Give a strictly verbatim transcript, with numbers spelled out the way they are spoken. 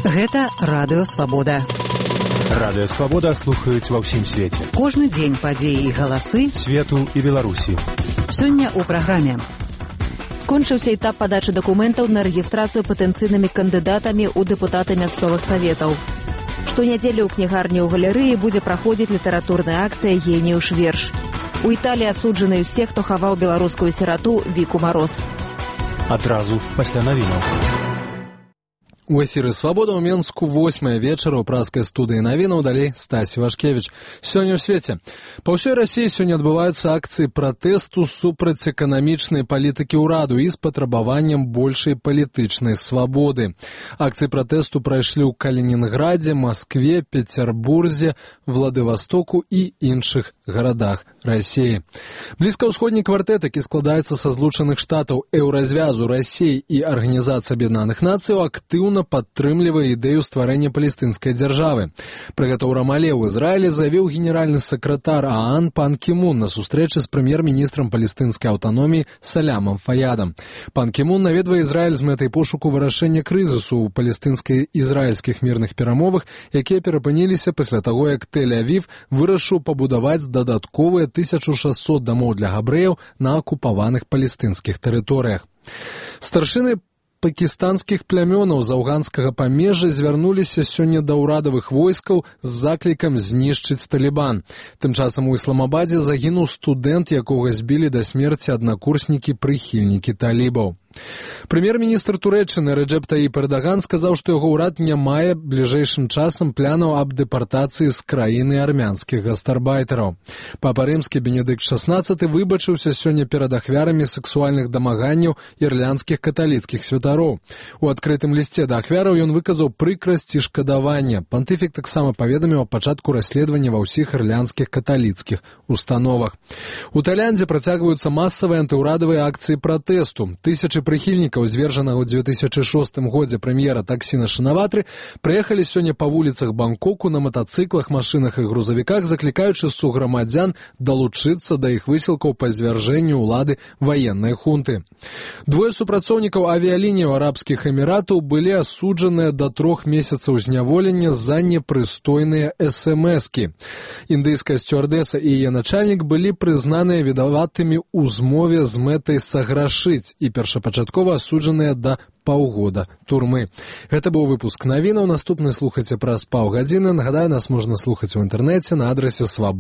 Гэта Радыё Свабода. Радыё Свабода слухаюць ва ўсім свеце. Кожны дзень падзеі і галасы свету і Беларусі. Сёння ў праграме. Скончыўся этап падачы дакументаў на рэгістрацыю патэнцыйнымі кандыдатамі ў дэпутаты мясцовых саветаў. Штонядзелю ў кнігарні ў галерэі будзе праходзіць літаратурная акцыя «Геніюш верш». У Італіі асуджаны ўсе, хто хаваў беларускую сірату Віку Мароз. Адразу пасля навінаў. У эфіры «Свабода» ў Менску восьмая вечара ў праскай студыі навінаў, далей Стасі Вашкевіч. Сёння ў свеце. Па ўсёй Расіі сёння адбываюцца акцыі пратэсту супраць эканамічнай палітыкі ўраду і з патрабаваннем большай палітычнай свабоды. Акцыі пратэсту прайшлі ў Калінінградзе, Маскве, Пецярбурзе, Владывастоку і іншых гарадах Расіі. Блізкаўсходні квартэт, які складаецца са злучаных штатаў, Еўразвязу, Расіі і Арганізацыі Аб'яднаных Нацыяў, актыўна падтрымлівае ідэю стварэння палестынскай дзяржавы. Пра гэта ў Рамале ў Ізраілі заявіў генеральны сакратар ААН Пан Кі Мун на сустрэчы з прэм'ер-міністрам палестынскай аўтаноміі Салямам Фаядам. Пан Кі Мун наведвае Ізраіль з мэтай пошуку вырашэння крызісу ў палестынска-ізраільскіх мірных перамовах, якія перапыніліся пасля таго, як Тель-Авів вырашыў пабудаваць дадатковыя тысячу шасцьсот дамоў для габрэяў на акупаваных палестынскіх тэрыторыях. Старшыны пакістанскіх плямёнаў з афганскага памежжа звярнуліся сёння да ўрадавых войскаў з заклікам знішчыць Талібан. Тым часам у Ісламабадзе загінуў студэнт, якога збілі да смерці аднакурснікі-прыхільнікі талібаў. Прэм'ер-міністр Турэччыны Рэджэп Таіп Эрдаган сказаў, што яго ўрад не мае бліжэйшым часам планаў аб дэпартацыі з краіны армянскіх гастарбайтараў. Папа Рымскі Бенедыкт шаснаццаты выбачыўся сёння перад ахвярамі сексуальных дамаганняў ірландскіх каталіцкіх святароў. У адкрытым лісце да ахвяраў ён выказаў прыкрасць і шкадаванне. Пантыфік таксама паведаміў аб пачатку расследавання ва ўсіх ірландскіх каталіцкіх установах. У Тайландзе працягваюцца масавыя антыўрадавыя акцыі пратэсту. Тысячы прыхільнікаў звержанага ў дзве тысячы шостым годзе прэм'ера Таксіна Шынаватры прыехалі сёння па вуліцах Бангкоку на матацыклах, машынах і грузавіках, заклікаючы суграмадзян далучыцца да іх высілкаў па звяржэнню ўлады ваеннай хунты. Двое супрацоўнікаў авіялініяў арабскіх эміратаў былі асуджаныя да трох месяцаў зняволення за непрыстойныя эс-эм-эскі. Індыйская сцюардэса і яе начальнік былі прызнаныя вінаватымі ў змове з мэтай саграшыць і першапачаткова асуджаныя да паўгода турмы. Гэта быў выпуск навінаў. Наступны слухайце праз паўгадзіны. Нагадаю, нас можна слухаць у інтэрнэце на адрасе свабода.